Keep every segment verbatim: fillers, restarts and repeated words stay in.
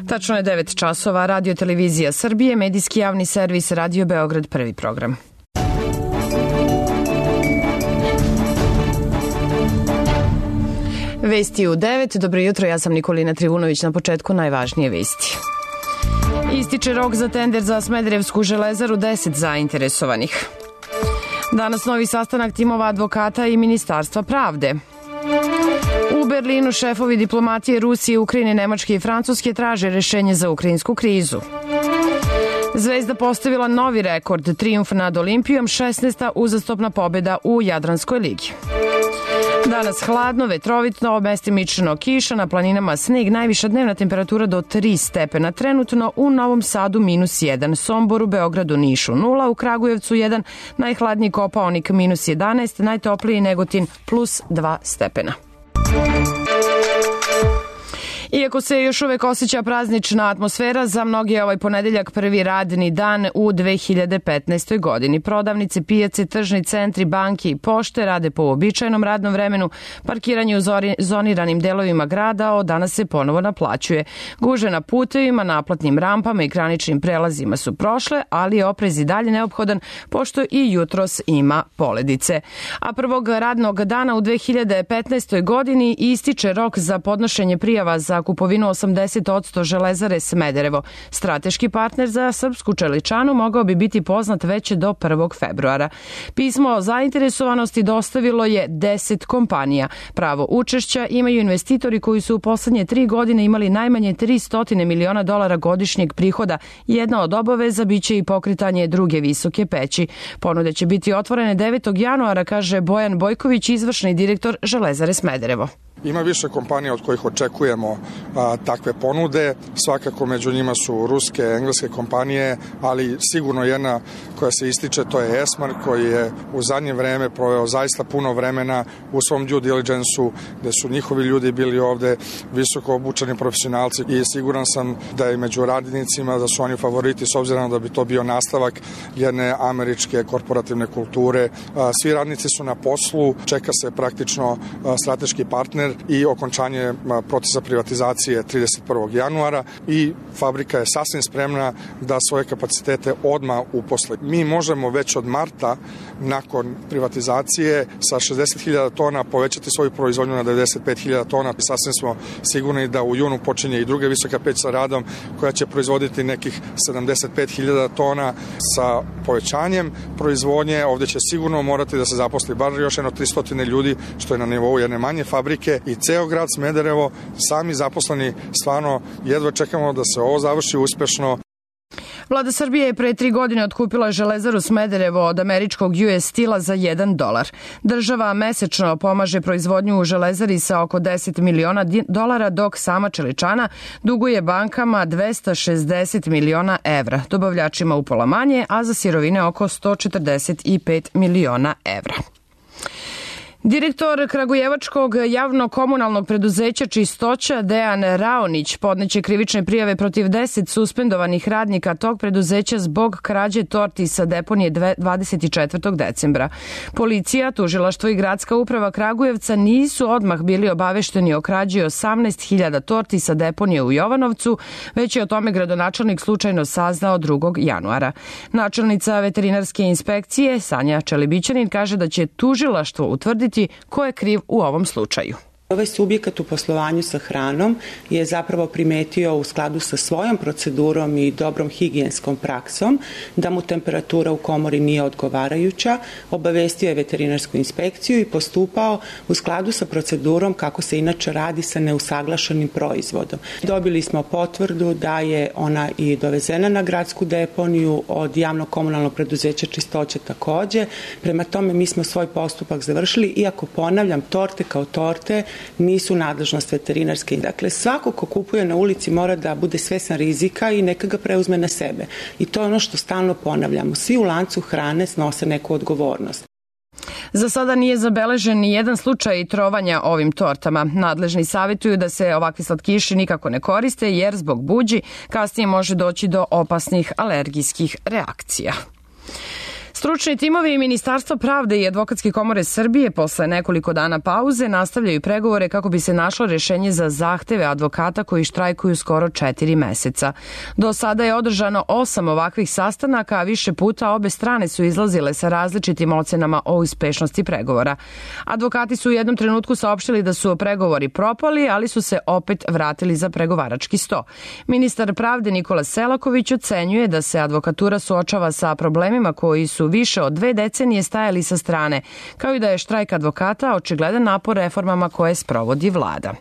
Tačno je devet časova, Radio Televizija Srbije, medijski javni servis Radio Beograd, prvi program. Vesti u devet. Dobro jutro, ja sam Nikolina Trivunović. Na početku najvažnije vesti. Ističe rok za tender za Smederevsku železaru, deset zainteresovanih. Danas novi sastanak timova advokata i Ministarstva pravde. U Berlinu šefovi diplomatije Rusije, Ukrajine, Nemačke i Francuske traže rešenje za ukrajinsku krizu. Zvezda postavila novi rekord, trijumf nad Olimpijom, šesnaesta uzastopna pobjeda u Jadranskoj ligi. Danas hladno, vetrovitno, mestimično kiša, na planinama sneg, najviša dnevna temperatura do tri stepena. Trenutno u Novom Sadu minus jedan, Somboru, Beogradu, Nišu nula, u Kragujevcu jedan, najhladniji Kopaonik minus jedanaest, najtopliji Negotin plus dva stepena. Iako se još uvek osjeća praznična atmosfera, za mnogi je ovaj ponedeljak prvi radni dan u dve hiljade petnaestoj. godini. Prodavnice, pijace, tržni centri, banke i pošte rade po uobičajenom radnom vremenu. Parkiranje u zoniranim delovima grada od danas se ponovo naplaćuje. Gužve na putevima, naplatnim rampama i graničnim prelazima su prošle, ali je oprez i dalje neophodan, pošto i jutros ima poledice. A prvog radnog dana u dve hiljade petnaestoj. godini ističe rok za podnošenje prijava za kupovinu osamdeset posto Železare Smederevo. Strateški partner za srpsku čeličanu mogao bi biti poznat već do prvog februara. Pismo o zainteresovanosti dostavilo je deset kompanija. Pravo učešća imaju investitori koji su u poslednje tri godine imali najmanje tristo miliona dolara godišnjeg prihoda. Jedna od obaveza biće i pokretanje druge visoke peći. Ponude će biti otvorene devetog januara, kaže Bojan Bojković, izvršni direktor Železare Smederevo. Ima više kompanija od kojih očekujemo a, takve ponude. Svakako među njima su ruske, engleske kompanije, ali sigurno jedna koja se ističe, to je Esmark, koji je u zadnje vreme proveo zaista puno vremena u svom due diligence-u, gde su njihovi ljudi bili ovde visoko obučeni profesionalci i siguran sam da je među radnicima da su oni favoriti, s obzirom da bi to bio nastavak jedne američke korporativne kulture. A, svi radnici su na poslu, čeka se praktično a, strateški partner i okončanje procesa privatizacije trideset prvog januara i fabrika je sasvim spremna da svoje kapacitete odmah uposle. Mi možemo već od marta nakon privatizacije sa šezdeset hiljada tona povećati svoju proizvodnju na devedeset pet hiljada tona. Sasvim smo sigurni da u junu počinje i druga visoka peć sa radom koja će proizvoditi nekih sedamdeset pet hiljada tona sa povećanjem proizvodnje. Ovde će sigurno morati da se zaposli bar još jedno tristo ljudi, što je na nivou jedne manje fabrike, i ceo grad Smederevo, sami zaposleni, stvarno jedva čekamo da se ovo završi uspešno. Vlada Srbije je pre tri godine otkupila Železaru Smederevo od američkog U S Steel-a za jedan dolar. Država mesečno pomaže proizvodnju u Železari sa oko deset miliona dolara, dok sama čeličana duguje bankama dvesta šezdeset miliona evra, dobavljačima upola manje, a za sirovine oko sto četrdeset pet miliona evra. Direktor Kragujevačkog javno-komunalnog preduzeća Čistoća Dejan Raonić podneće krivične prijave protiv deset suspendovanih radnika tog preduzeća zbog krađe torti sa deponije dvadeset četvrtog decembra. Policija, tužilaštvo i gradska uprava Kragujevca nisu odmah bili obavešteni o krađi osamnaest hiljada torti sa deponije u Jovanovcu, već je o tome gradonačelnik slučajno saznao drugog januara. Načelnica veterinarske inspekcije Sanja Čelibićanin kaže da će tužilaštvo utvrditi ko je kriv u ovom slučaju. Ovaj subjekat u poslovanju sa hranom je zapravo primetio u skladu sa svojom procedurom i dobrom higijenskom praksom da mu temperatura u komori nije odgovarajuća, obavestio je veterinarsku inspekciju i postupao u skladu sa procedurom kako se inače radi sa neusaglašenim proizvodom. Dobili smo potvrdu da je ona i dovezena na gradsku deponiju od javnog komunalnog preduzeća Čistoće takođe. Prema tome mi smo svoj postupak završili, iako ponavljam, torte kao torte nisu nadležnost veterinarske. Dakle, svako ko kupuje na ulici mora da bude svestan rizika i neka ga preuzme na sebe. I to je ono što stalno ponavljamo. Svi u lancu hrane snose neku odgovornost. Za sada nije zabeležen ni jedan slučaj trovanja ovim tortama. Nadležni savjetuju da se ovakvi slatkiši nikako ne koriste, jer zbog buđi kasnije može doći do opasnih alergijskih reakcija. Stručni timovi Ministarstva pravde i Advokatske komore Srbije posle nekoliko dana pauze nastavljaju pregovore kako bi se našlo rešenje za zahteve advokata koji štrajkuju skoro četiri meseca. Do sada je održano osam ovakvih sastanaka, a više puta obe strane su izlazile sa različitim ocenama o uspešnosti pregovora. Advokati su u jednom trenutku saopštili da su pregovori propali, ali su se opet vratili za pregovarački sto. Ministar pravde Nikola Selaković ocenjuje da se advokatura suočava sa problemima koji su više od dve decenije stajali sa strane, kao i da je štrajk advokata očigledan napor reformama koje sprovodi vlada.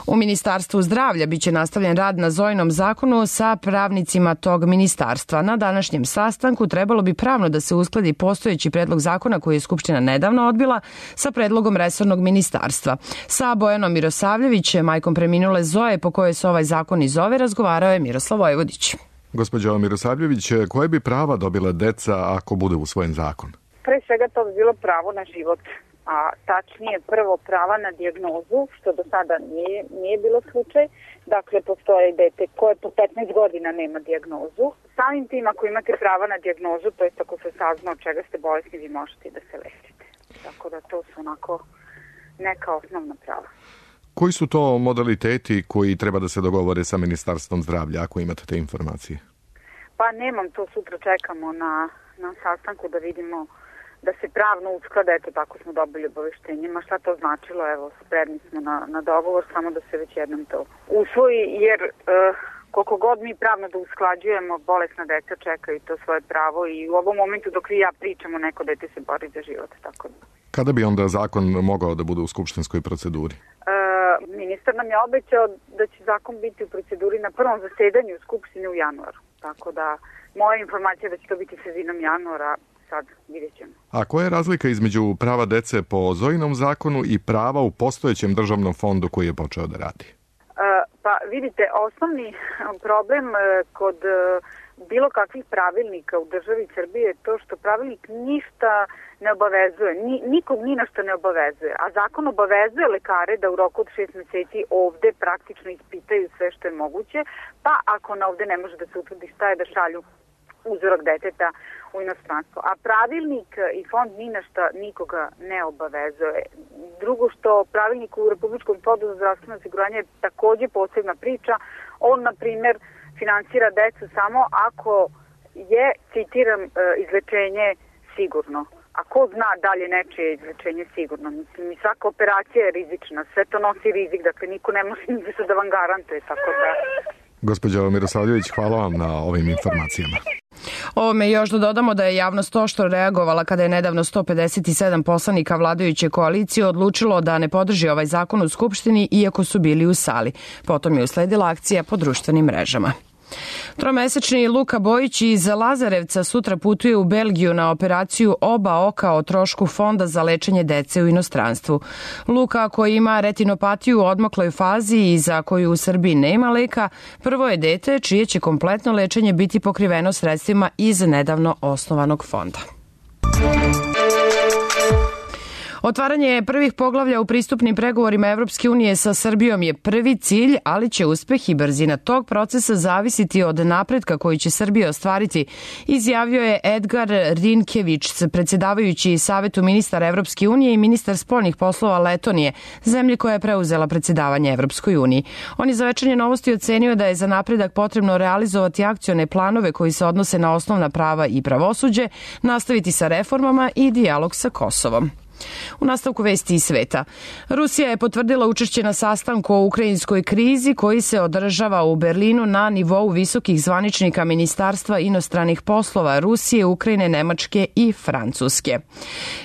U Ministarstvu zdravlja biće nastavljen rad na Zojinom zakonu sa pravnicima tog ministarstva. Na današnjem sastanku trebalo bi pravno da se uskladi postojeći predlog zakona koji je Skupština nedavno odbila sa predlogom resornog ministarstva. Sa Bojanom Mirosavljević, majkom preminule Zoje po kojoj se ovaj zakon i zove, razgovarao je Miroslav Vojvodić. Gospođo Mirosavljević, koje bi prava dobila deca ako bude usvojen zakon? Pre svega to bi bilo pravo na život, a tačnije prvo prava na dijagnozu, što do sada nije, nije bilo slučaj. Dakle, postoje dete koje po petnaest godina nema dijagnozu. Samim tim, ako imate prava na dijagnozu, to je ako se sazna od čega ste bolesni, vi možete da se lečite. Tako da to su onako neka osnovna prava. Koji su to modaliteti koji treba da se dogovore sa Ministarstvom zdravlja, ako imate te informacije? Pa nemam to, sutra čekamo na, na sastanku da vidimo da se pravno usklada, eto tako smo dobili obaveštenje. Ma šta to značilo, evo, spremni smo na, na dogovor, samo da se već jednom to usvoji, jer e, koliko god mi pravno da usklađujemo, bolesna deca čekaju to svoje pravo i u ovom momentu dok vi i ja pričamo, neko dete se bori za život, tako da. Kada bi onda zakon mogao da bude u skupštinskoj proceduri? E, ministar nam je obećao da će zakon biti u proceduri na prvom zasedanju Skupštine u januaru, tako da moja informacija je da će to biti sredinom januara. Sad vidjet ćemo. A koja je razlika između prava dece po Zojinom zakonu i prava u postojećem državnom fondu koji je počeo da radi? E, pa vidite, osnovni problem kod bilo kakvih pravilnika u državi Srbije je to što pravilnik ništa ne obavezuje, ni, nikog ni na što ne obavezuje, a zakon obavezuje lekare da u roku od šest meseci ovde praktično ispitaju sve što je moguće, pa ako na ovde ne može da se utvrdi šta je, da šalju uzorak deteta u inostranstvo. A pravilnik i fond ni na šta nikoga ne obavezuje. Drugo što pravilnik u Republičkom fondu za zdravstveno osiguranje je takođe posebna priča. On, na primjer, finansira decu samo ako je, citiram, izlečenje sigurno. A ko zna da li je nečije izlečenje sigurno? Mislim, i svaka operacija je rizična. Sve to nosi rizik, dakle niko ne može da vam garantuje, tako da... Gospođo Mirosavljević, hvala vam na ovim informacijama. Ovome još da dodamo da je javnost oštro reagovala kada je nedavno sto pedeset sedam poslanika vladajuće koalicije odlučilo da ne podrži ovaj zakon u Skupštini iako su bili u sali. Potom je usledila akcija po društvenim mrežama. Tromesečni Luka Bojić iz Lazarevca sutra putuje u Belgiju na operaciju oba oka o trošku fonda za lečenje dece u inostranstvu. Luka, koji ima retinopatiju u odmakloj fazi i za koju u Srbiji nema leka, prvo je dete čije će kompletno lečenje biti pokriveno sredstvima iz nedavno osnovanog fonda. Otvaranje prvih poglavlja u pristupnim pregovorima Evropske unije sa Srbijom je prvi cilj, ali će uspeh i brzina tog procesa zavisiti od napretka koji će Srbija ostvariti, izjavio je Edgar Rinkević, predsjedavajući Savetu ministara Evropske unije i ministar spoljnih poslova Letonije, zemlje koja je preuzela predsjedavanje Evropskoj uniji. On je za Večernje novosti ocenio da je za napredak potrebno realizovati akcione planove koji se odnose na osnovna prava i pravosuđe, nastaviti sa reformama i dijalog sa Kosovom. U nastavku vesti iz sveta. Rusija je potvrdila učešće na sastanku o ukrajinskoj krizi koji se održava u Berlinu na nivou visokih zvaničnika Ministarstva inostranih poslova Rusije, Ukrajine, Nemačke i Francuske.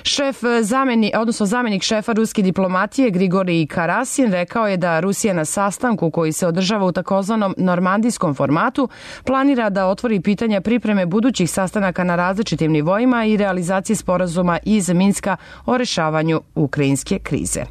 Šef zameni, odnosno zamenik šefa ruske diplomatije Grigorij Karasin rekao je da Rusija na sastanku koji se održava u takozvanom normandijskom formatu planira da otvori pitanja pripreme budućih sastanaka na različitim nivoima i realizacije sporazuma iz Minska o rešavanju ukrajinske krize.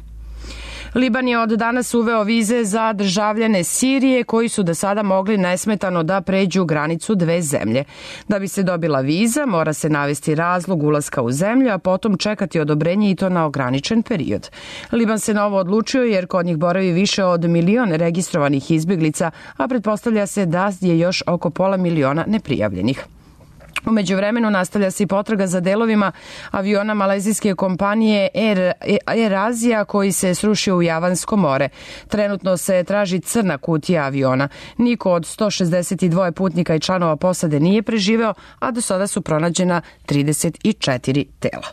Liban je od danas uveo vize za državljane Sirije koji su do sada mogli nesmetano da pređu granicu dve zemlje. Da bi se dobila viza, mora se navesti razlog ulaska u zemlju, a potom čekati odobrenje i to na ograničen period. Liban se na ovo odlučio jer kod njih boravi više od milion registrovanih izbjeglica, a pretpostavlja se da je još oko pola miliona neprijavljenih. U međuvremenu nastavlja se i potraga za delovima aviona malezijske kompanije Air, Air Asia koji se srušio u Javansko more. Trenutno se traži crna kutija aviona. Niko od sto šezdeset dva putnika i članova posade nije preživeo, a do sada su pronađena trideset četiri tela.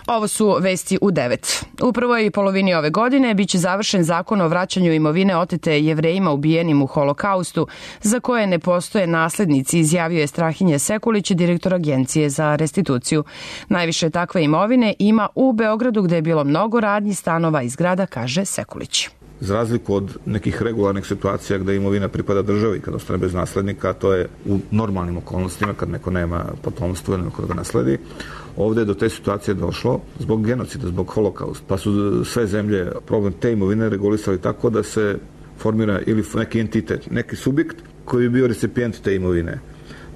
Ovo su vesti u devet. U prvoj polovini ove godine biće završen zakon o vraćanju imovine otete Jevrejima ubijenim u Holokaustu, za koje ne postoje naslednici, izjavio je Strahinja Sekulić, direktor Agencije za restituciju. Najviše takve imovine ima u Beogradu, gde je bilo mnogo radnji, stanova i zgrada, kaže Sekulić. Za razliku od nekih regularnih situacija gde imovina pripada državi kad ostane bez naslednika, to je u normalnim okolnostima kad neko nema potomstvo ili neko da ga nasledi. Ovde je do te situacije došlo zbog genocida, zbog holokausta. Pa su sve zemlje problem te imovine regulisali tako da se formira ili neki entitet, neki subjekt koji bi bio recipijent te imovine.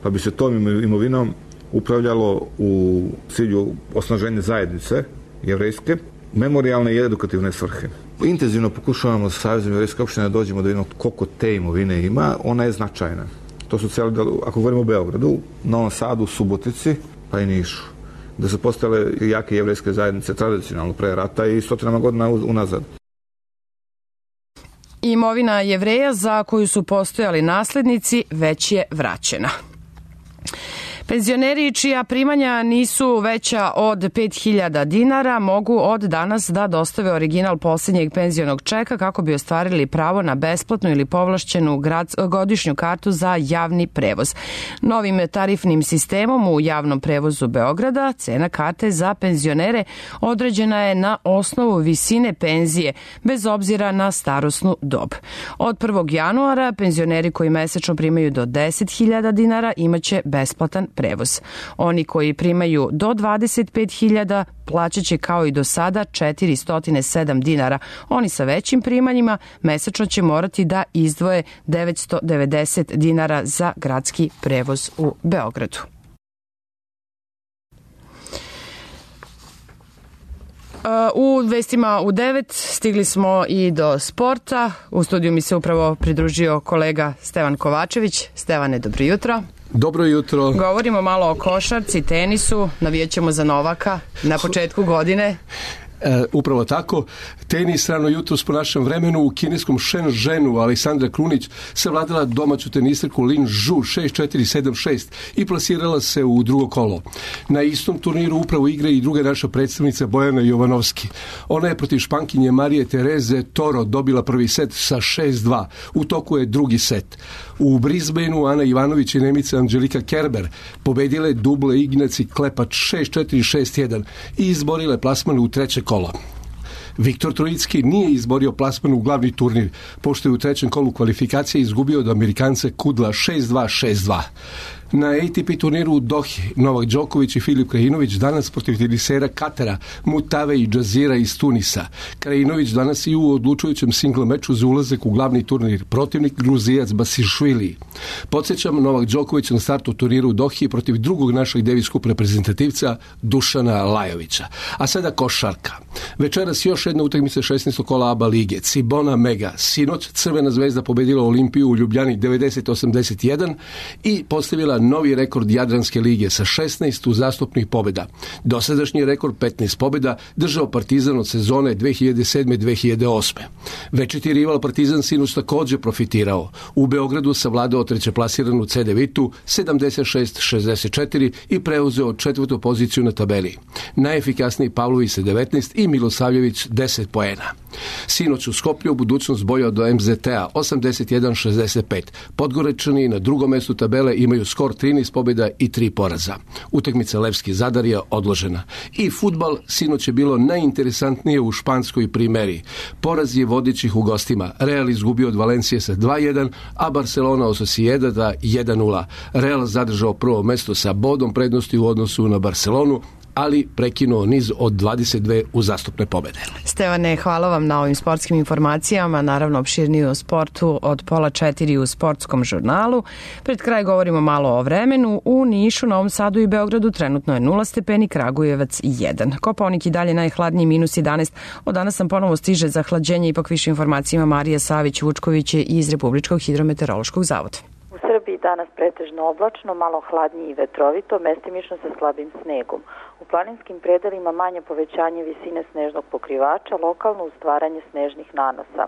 Pa bi se tom imovinom upravljalo u cilju osnaženja zajednice jevrejske, memorijalne i edukativne svrhe. Intenzivno pokušavamo sa Savezom jevrejske opštine da dođemo da vidimo koliko te imovine ima. Ona je značajna. To su cijeli, ako govorimo o Beogradu, Novom Sadu, Subotici, pa i Nišu, da su postale jake jevrejske zajednice tradicionalno pre rata i stotinama godina unazad. Imovina Jevreja za koju su postojali naslednici već je vraćena. Penzioneri čija primanja nisu veća od pet hiljada dinara mogu od danas da dostave original posljednjeg penzionog čeka kako bi ostvarili pravo na besplatnu ili povlašćenu godišnju kartu za javni prevoz. Novim tarifnim sistemom u javnom prevozu Beograda cena karte za penzionere određena je na osnovu visine penzije, bez obzira na starosnu dob. Od prvog januara penzioneri koji mesečno primaju do deset hiljada dinara imaće besplatan prevoz. Oni koji primaju do dvadeset pet hiljada plaćat će kao i do sada četiristo sedam dinara. Oni sa većim primanjima mesečno će morati da izdvoje devetsto devedeset dinara za gradski prevoz u Beogradu. U vestima u devet stigli smo i do sporta. U studiju mi se upravo pridružio kolega Stevan Kovačević. Stevane, dobro jutro. Dobro jutro. Govorimo malo o košarci, tenisu, navijećemo za Novaka na početku godine. E, upravo tako. Tenis rano jutros po našem vremenu u kineskom Shenzhenu Aleksandra Krunić savladala domaću teniserku Lin Zhu šest četiri sedam šest i plasirala se u drugo kolo. Na istom turniru upravo igra i druga naša predstavnica Bojana Jovanovski. Ona je protiv Špankinje Marije Tereze Toro dobila prvi set sa šest dva. U toku je drugi set. U Brisbaneu Ana Ivanović i Nemica Anđelika Kerber pobedile duble Ignaci Klepač šest četiri šest jedan i izborile plasman u treće kolo. Viktor Trojicki nije izborio plasman u glavni turnir, pošto je u trećem kolu kvalifikacije izgubio od Amerikanca Kudla šest dva šest dva. Na A T P turniru u Dohi Novak Đoković i Filip Krajinović danas protiv tenisera Katara, Mutave i Džazira iz Tunisa. Krajinović danas i u odlučujućem singl meču za ulazak u glavni turnir, protivnik Gruzijac Basishvili. Podsjećam, Novak Đoković na startu turniru u Dohi protiv drugog našeg Davis Cup reprezentativca Dušana Lajovića. A sada košarka. Večeras još jedna utakmica šesnaestog kola A B A lige. Cibona Mega. Sinoć Crvena zvezda pobedila Olimpiju u Ljubljani devedeset osamdeset jedan i postavila novi rekord Jadranske lige sa šesnaest uzastopnih pobjeda. Dosadašnji rekord petnaest pobjeda držao Partizan od sezone dve hiljade sedme dve hiljade osme. Večiti rival Partizan sinoć također profitirao. U Beogradu savladao trećeplasiranu C D Vitu sedamdeset šest šezdeset četiri i preuzeo četvrtu poziciju na tabeli. Najefikasniji Pavlović sa devetnaest i Milosavljević deset poena. Sinoć u Skoplju budućnost bojao do M Z T-a osamdeset jedan šezdeset pet. Podgorečani na drugom mjestu tabele imaju skor trinaest pobjeda i tri poraza. Utakmica Levski Zadar je odložena. I fudbal sinoć je bilo najinteresantnije u španskoj primeri. Poraz je vodećih u gostima. Real izgubio od Valencije sa dva jedan, a Barcelona od Sociedada jedan nula. Real zadržao prvo mesto sa bodom prednosti u odnosu na Barcelonu, ali prekinuo niz od dvadeset dve uzastopne pobjede. Stevane, hvala vam na ovim sportskim informacijama, naravno opširnije o sportu od pola četiri u sportskom žurnalu. Pred kraj govorimo malo o vremenu. U Nišu, Novom Sadu i Beogradu trenutno je nula stepeni, Kragujevac jedan. Kopaonik i dalje najhladniji minus jedanaest. Od danas sam ponovo stiže zahlađenje, ipak više informacijama Marija Savić-Vučković iz Republičkog hidrometeorološkog zavoda. U Srbiji danas pretežno oblačno, malo hladnije i vetrovito, mestimično sa slabim snegom. U planinskim predelima manje povećanje visine snežnog pokrivača, lokalno ustvaranje snežnih nanosa.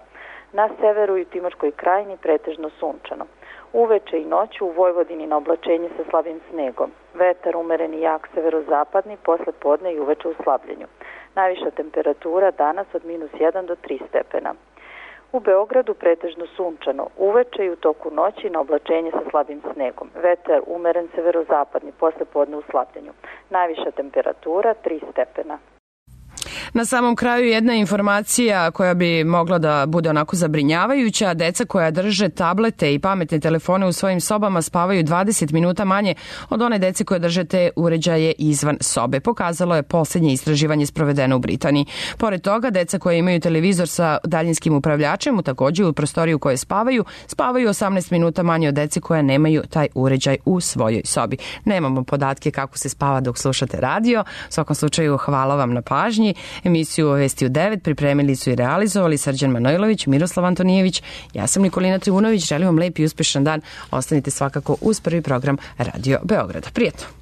Na severu i u Timočkoj krajini pretežno sunčano. Uveče i noću u Vojvodini na oblačenje sa slabim snegom. Vetar umeren i jak severozapadni, posle podne i uveče u slabljenju. Najviša temperatura danas od minus jedan do tri stepena. U Beogradu pretežno sunčano, uveče i u toku noći na oblačenje sa slabim snegom. Vetar umeren severozapadni, posle podne u slabljenju. Najviša temperatura tri stepena. Na samom kraju jedna informacija koja bi mogla da bude onako zabrinjavajuća. Deca koja drže tablete i pametne telefone u svojim sobama spavaju dvadeset minuta manje od one dece koje drže te uređaje izvan sobe. Pokazalo je posljednje istraživanje sprovedeno u Britaniji. Pored toga, deca koja imaju televizor sa daljinskim upravljačem u takođe u prostoriju u kojoj spavaju, spavaju osamnaest minuta manje od dece koja nemaju taj uređaj u svojoj sobi. Nemamo podatke kako se spava dok slušate radio. U svakom slučaju, hvala vam na pažnji. Emisiju Vesti u devet pripremili su i realizovali Srđan Manojlović, Miroslav Antonijević, ja sam Nikolina Trivunović, želim vam lep i uspešan dan. Ostanite svakako uz prvi program Radio Beograda. Prijetno!